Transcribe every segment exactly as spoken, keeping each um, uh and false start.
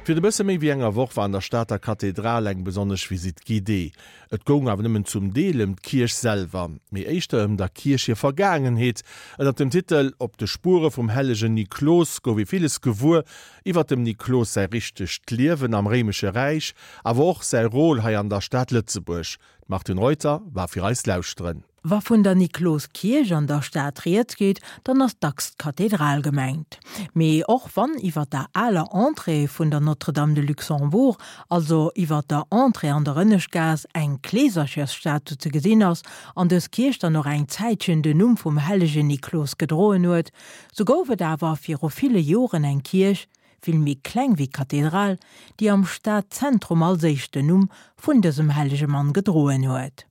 Virun e bësse méi wéi enger Woch war an der Stater Kathedral eng besonnesch Visite guidée. Et goung awer nëmmen zum Deel ëm d'Kierch selwer, mee éischter ëm der Kierch hir Vergaangenheet. Ënnert dem Titel Op de Spuere vum hellegen Niklos gouf ee villes gewuer iwwer dem Niklos säi richtegt Liewen am Réimesche Räich, awer och säi Rôle hei an der Stad Lëtzebuerg. D'Martine Reuter war fir eis lauschteren. Wa vun der Nikloskierch an der Stad rieds geet, dann ass dacks d'Kathedral gemengt. Mee och wann iwwer der aler Entrée vun der Notre-Dame de Luxembourg, also iwwer der Entrée an der Ënneschtgaass, eng Kleeserchersstatu ze gesinn ass an dës Kierch dann och eng Zäitchen den Numm vum hellegen Niklos gedroen huet, sou gouf et awer viru ville Joren eng Kierch, vill méi kleng wéi d'Kathedral, déi am Stadzentrum als éischt den Numm vun dësem hellege Mann gedroen huet.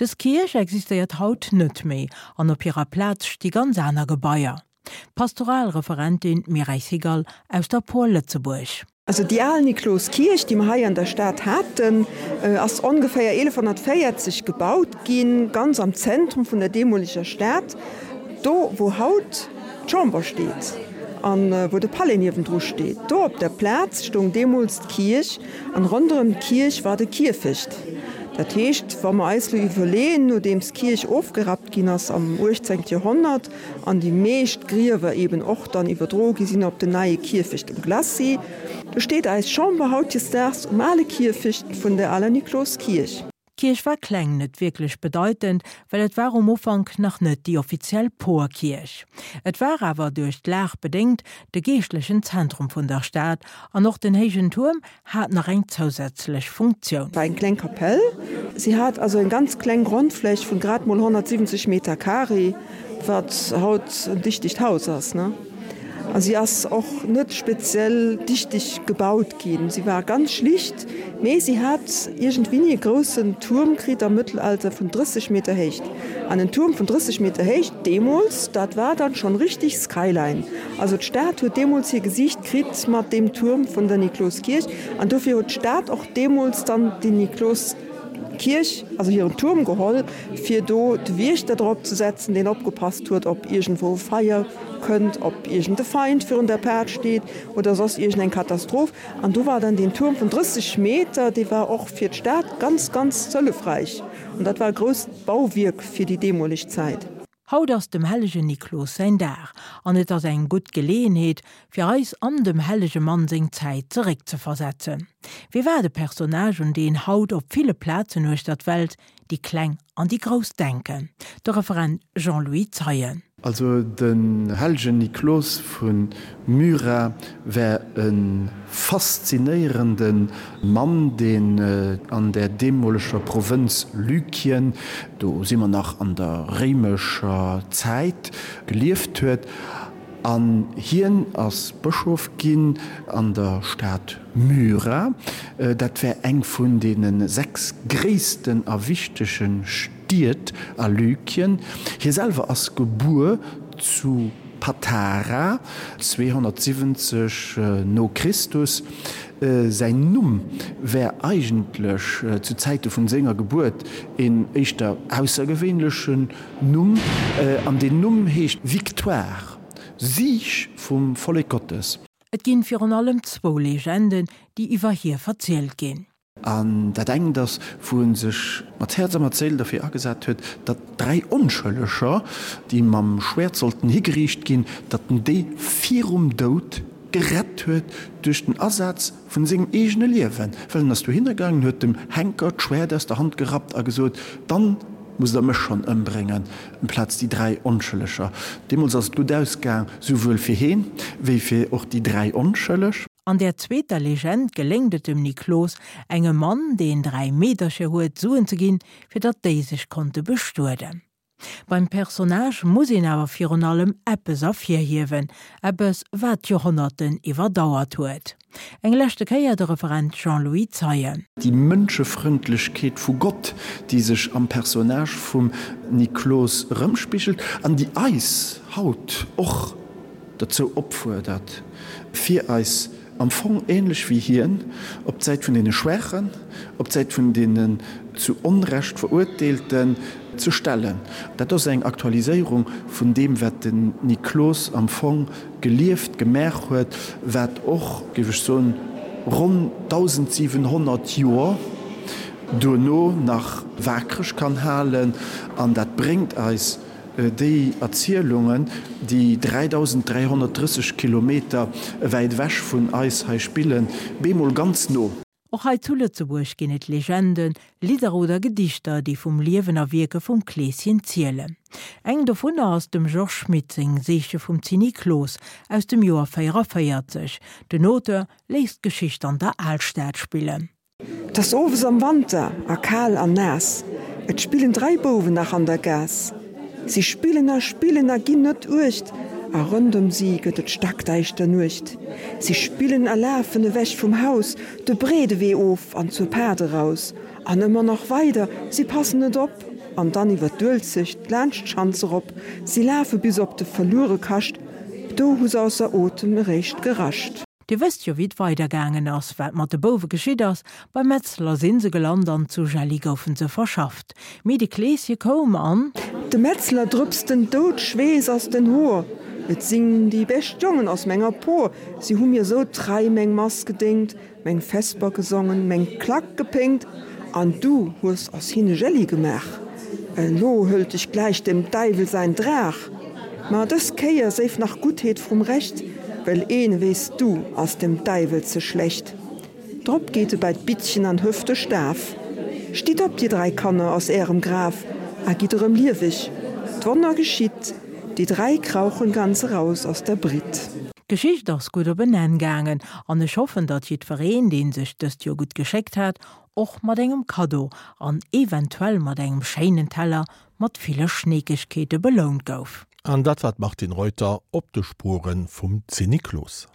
Dës Kierch existéiert haut net méi an op hirer Plaz sti ganz aner Gebaier. D'Pastoralreferentin Mireille Segal aus der Por Lëtzebuerg. Also déi al Nikloskierch, déi mer hei an der Stad haten, ass ongeféier eelefhonnertvéierzeg gebaut ginn, ganz am Zentrum vun der deemoleger Stad, do wou haut d'Chamber steet an wou de Palais niewendru steet. Do op der Plaz stoung deemools d'Kierch an ronderëm d'Kierch war de Kierfecht. Dat heescht, wa mer eis elo iwwerleeën, nodeems d'Kierch ofgerappt ginn ass am uechtzéngte Joerhonnert an déi meescht Griewer eben och dann iwwerdroe gi sinn op den neie Kierfecht um Glacis, do steet eis Chamber hautdesdaags um ale Kierfecht vun der aler Nikloskierch. D'Kierch war kleng, net wierklech bedeitend, well et war um Ufank nach net déi offiziell Porkierch. Et war awer duerch d'Lag bedéngt de geeschtlechen Zentrum vun der Stad an och den héijen Tuerm hat nach eng zousätzlech Funktioun. War eng kleng Kapell. Si hat also eng ganz kleng Grondfläch vun grad mol honnertsiwwenzeg Meter carré, wat haut en dichtegt Haus ass, ne? A si ass och net speziell dichteg gebaut ginn. Si war ganz schlicht, mee si hat iergendwéini e groussen Tuerm kritt am Mëttelalter vun drësseg Meter Héicht. An en Tuerm vun drësseg Meter Héicht deemools, dat war dann schonn richtig Skyline. Also d'Stad huet deemools hir Gesiicht kritt mat deem Tuerm vun der Nikloskierch. An dofir huet d'Stad och deemools dann déi Nikloskierch, also hiren Tuerm geholl, fir do de Wiechter drop ze setzen, deen opgepasst huet, ob iergendwou Feier kënnt, ob iergend e Feind virun der Paart steet oder soss iergend eng Katastroph. An do war dann deen Tuerm vun drësseg Meter, dee war och fir d'Stad ganz, ganz hëllefräich. An dat war e grousst Bauwierk fir déi deemoleg Zäit. Haut ass dem hellegen Niklos säin Dag an et ass eng gutt Geleeënheet, fir eis an dem hellege Mann seng Zäit zeréckzeversetzen. Wie war de Personnage, un deen haut op ville Plazen uechter d'Welt déi Kleng an déi Grouss denken? De Referent Jean-Louis Zeien. Also den hellegen Niklos vu Myra war e faszinéierende Mann, deen an der deemoleger Provënz Lykien, do si mer nach an der réimescher Zäit, gelieft huet. An hien ass Bëschof ginn an der Stad Myra. Dat war eng vun deene sechs gréissten a wichtege Stied a Lykien. Hie selwer ass gebuer zu Patara, zweehonnertsiwwenzeg no Christus. Säin Numm war eigentlech zu Zäite vun senger Gebuert een éischter aussergewéinlechen Numm, an deen Numm heescht Victoire, Sieg vum Vollek Gottes. Et ginn virun allem zwou Legenden, déi iwwer hie verzielt ginn. An dat engt ass, wou e sech mat Häerz a mat Séil derfir agesat huet, datt dräi Onschëlleger, déi mam Schwäert sollten higeriicht ginn, datt en déi virum Doud gerett huet duerch den Asaz vun sengem eegene Liewen. Well en ass dohinner gaangen, huet dem Henker d'Schwäert aus der Hand gerappt a gesot, Dann musst der mech schonn ëmbréngen, amplaz déi dräi Onschëlleger. Deemools ass et gutt ausgaang, souwuel fir heen, wéi fir och déi dräi Onschëlleg. An der zweeter Legend geléngt et dem Niklos, engem Mann, deen dräi Meedercher huet, Suen ze ginn, fir datt déi sech konnte bestueden. Beim Personnage muss een awer virun allem eppes ervirhiewen, eppes, wat d'Joerhonnerten iwwerdauert huet. Eng leschte Kéier de Referent Jean-Louis Zeien. Déi Mënschefrëndlechkeet vu Gott, déi sech am Personnage vum Niklos erëmspigelt an déi eis haut och derzou opfuerdert, fir eis am Fong ähnlech wéi hien op d'Säit vun deene Schwaachen, op d'Säit vun deenen zu Onrecht Verurteelten ze stellen. Dat ass eng Aktualiséierung vun deem, wat den Niklos am Fong gelieft, gemaach huet, wat och, géif ech soen, ronn dausendsiwenhonnert Joer duerno nach waakreg kann halen. An dat bréngt eis déi Erzielungen, déi dräidausend dräihonnertdrësseg Kilometer wäit ewech vun eis hei spillen, bemol ganz no. Och hei zu Lëtzebuerg ginn et Legenden, Lidder oder Gedichter, déi vum Liewen a Wierke vum Kleeschen zielen. Eng dovunner ass dem Georges Schmitt seng Seeche vum Zinniklos aus dem Joer véierevéierzeg. Den Auteur léisst d'Geschicht an der Alstad spillen. 't ass owes am Wanter a kal an naass, et spillen dräi Bouwen nach an der Gaass. Si spillen a spillen a ginn net uecht, a rondëm si gëtt et stackdäischter Nuecht. Si spillen a lafen ewech vum Haus, de breede Wee of an zur Paart eraus, an ëmmer nach weider, si passen net op, an dann iwwer d'Uelzecht laanscht d'Schanz erop. Si lafe bis op de Verluerekascht, do hu s'ausser Otem eréischt gerascht. Dir wësst jo wéi et weider gaangen ass, wat mat de Bouwe geschitt ass, beim Metzler sinn se gelant an zu Jelli goufen se verschafft. Mee de Kleeschen koum an. Dem Metzler drëpst den Doudschweess aus den Hoer, Et sinn déi bescht Jongen aus menger Por, si hu mir sou trei meng Mass gedéngt, meng Vesper gesongen, meng Klack gepéngt, an du hues aus hinne Jelli gemaach. Elo hëlt dech gläich dem Däiwel säin Draach. Ma dës Kéier séif nach Guttheet vrum Recht, well een, wéi s du, ass dem Däiwel ze schlecht. Drop geet e bei d'Bittchen an hëft de Staf, Stitt op, dir dräi Kanner, aus ärem Graf a gitt erëm lieweg. D'Wonner geschitt, déi dräi krauchen ganz eraus aus der Britt. D'Geschicht ass gutt op en Enn gaangen an ech hoffen, datt jiddwereen, dee sech dëst Joer gutt geschéckt hat, och mat engem Kaddo an eventuell mat engem schéinen Teller mat ville Schneekegkeete belount gouf. An dat war d'Martine Reuter op de Spuere vum Zinniklos.